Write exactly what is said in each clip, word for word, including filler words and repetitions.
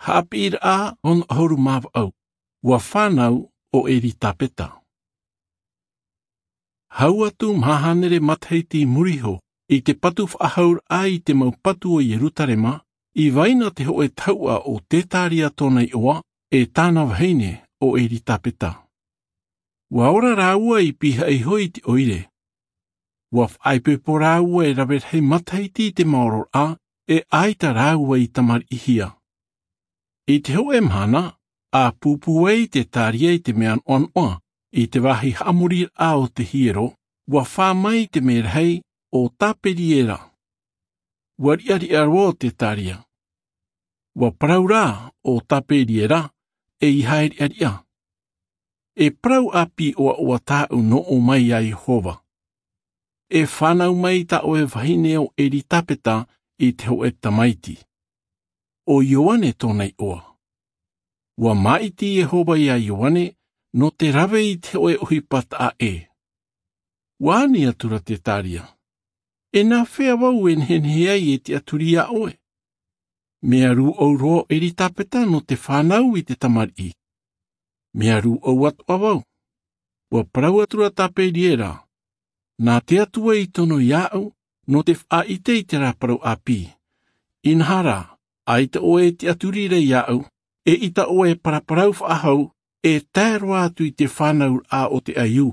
Haʻapiʻiraʻa ono ʻahuru mā vaʻu. Ua fānau ʻo Eritapeta. Hau atu maha hānere matahiti i muri iho, i te patu faʻahauraʻa i te mau patu o Ierutarema, i vai na te hōʻē tahuʻa ʻo Tetaria tōna iʻoa, e tāna vahine ʻo Eritapeta. Ua ora rāua i pihaʻi iho i te ʻoire. Ua faʻaipoipo rāua e rave rahi matahiti i te maororaʻa, e ʻaita rāua i tamariʻihia. I te hōʻē mahana, ʻa pūpū ai Tetaria i te mea noʻanoʻa, i te vāhi haʻamoriraʻa o te hiero, ua fā mai te merahi ʻo Taperiera. Ua riʻariʻa roa ʻo Tetaria. Ua parau rā ʻo Taperiera, ʻeiaha e riʻariʻa. E parau ʻāpī ʻoaʻoa tāʻu nō ʻō mai iā Iehova. E fānau mai tā ʻoe vahine ʻo Eritapeta i te hōʻē tamaiti. ʻO Ioane tōna iʻoa. Ua māʻiti Iehova iā Ioane, nō te rave i te hōʻē ʻohipa taʻa ʻē. Ua ani atu ra Tetaria. E nā hea vau e nehenehe ai e tiʻaturi iā ʻoe? Mea rūʻau roa ʻo Eritapeta nō te fānau i te tamariʻi. Mea rūʻau atoʻa vau. Ua parau atu ra Taperiera. Nā te Atua i tono iāʻu, nō te faʻaʻite i terā parau ʻāpī. Inaha rā, ʻaita ʻoe e tiʻaturi ra iāʻu, eʻita ʻoe e paraparau faʻahou, e tae roa atu i te fānauraʻa o te ʻaiū.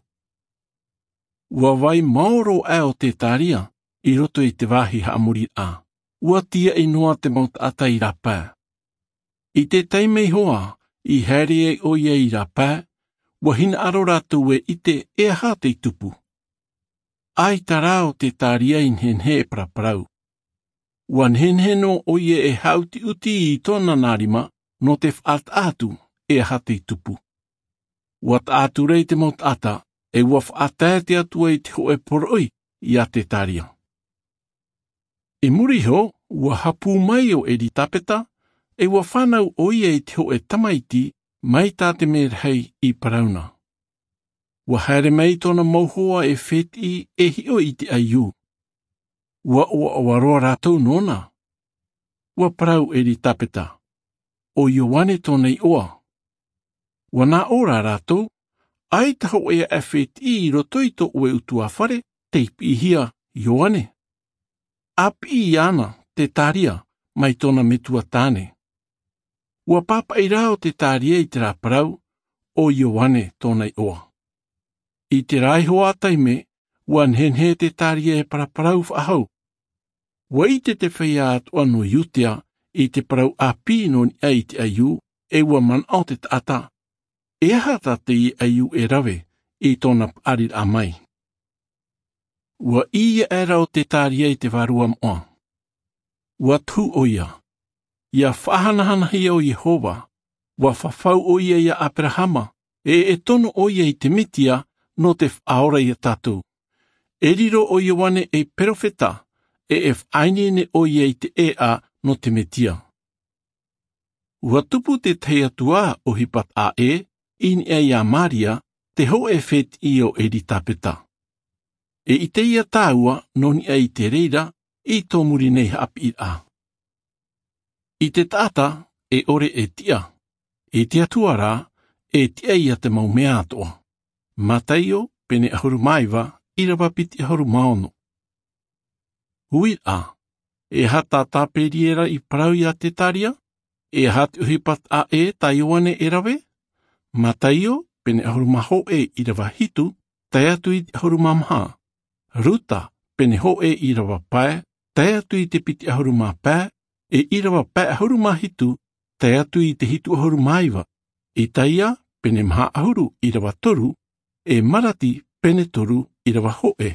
Ua vai maoro aʻe ʻo Tetaria, i roto i te vāhi haʻamoriraʻa. Ua tīaʻi noa te mau taʻata i rāpae. I te taime iho ā, i haere ai ʻoia i rāpae, ua hinaʻaro rātou e ʻite e aha tei tupu. ʻAita rā ʻo Tetaria i nehenehe e paraparau. Ua nehenehe noa ʻoia e haʻutiʻuti i tōna nā rima, nō te faʻataʻa atu e aha tei tupu. Ua taʻa atu ra i te mau taʻata, e ua faʻatae te Atua i te hōʻē poroʻi iā Tetaria. I muri iho, ua hapū mai ʻo Eritapeta, e ua fānau ʻoia i te hōʻē tamaiti, mai tā te merahi i parau na. Ua haere mai tōna mau hoa e fētiʻi e hiʻo i te ʻaiū. Ua ʻoaʻoa roa rātou nōna. Ua parau Eritapeta. ʻO Ioane tōna iʻoa. Ua nā ʻō ra rātou, ʻaita hōʻē aʻe fētiʻi i roto i tō ʻoe ʻutuāfare, tei piʻihia Ioane. ʻA piʻi iāna Tetaria, mai tōna metua tāne. Ua pāpaʻi rā ʻo Tetaria i terā parau, ʻo Ioane tōna iʻoa. I terā iho ā taime, ua nehenehe Tetaria e paraparau faʻahou. Ua ʻite te feiā atoʻa nō Iutea, i te parau ʻāpī nō niʻa i te ʻaiū, e ua manaʻo te taʻata. E aha tā teie ʻaiū e rave, i tōna paʻariraʻa mai. Ua ʻī aʻera ʻo Tetaria i te vārua moʻa. Ua tuhu ʻoia. ʻIa faʻahanahanahia ʻo Iehova. Ua fafau ʻoia iā Aperahama, e e tono ʻoia i te Metia, nō te faʻaora iā tātou. E riro ʻo Ioane ei perofeta, e e faʻaineine ʻoia i te ʻēʻa nō te Metia. Ua tupu te tahi atu ā ʻohipa taʻa ʻē, i niʻa iā Maria, te hōʻē fētiʻi o Eritapeta. E ʻite ïa tāua, nō niʻa i te reira, i tō muri nei haʻapiʻiraʻa. I te taʻata, e ʻore e tiʻa. I te Atua rā, e tiʻa ïa te mau mea atoʻa. Mataio, pene ʻahuru mā iva, ʻīrava piti ʻahuru mā ono. Huiraʻa, e aha tā Taperiera i parau iā Tetaria? E aha te ʻohipa taʻa ʻē tā Ioane e rave? Mataio, pene ʻahuru mā hōʻē ʻīrava hitu, tae atu i te ʻahuru mā maha. Ruta, pene hōʻē ʻīrava pae, tae atu i te piti ʻahuru mā pae, e ʻīrava pae ʻahuru mā hitu, tae atu i te hitu ʻahuru mā iva. Isaia, pene maha ʻahuru ʻīrava toru, e Maraki, pene toru ʻīrava hōʻē.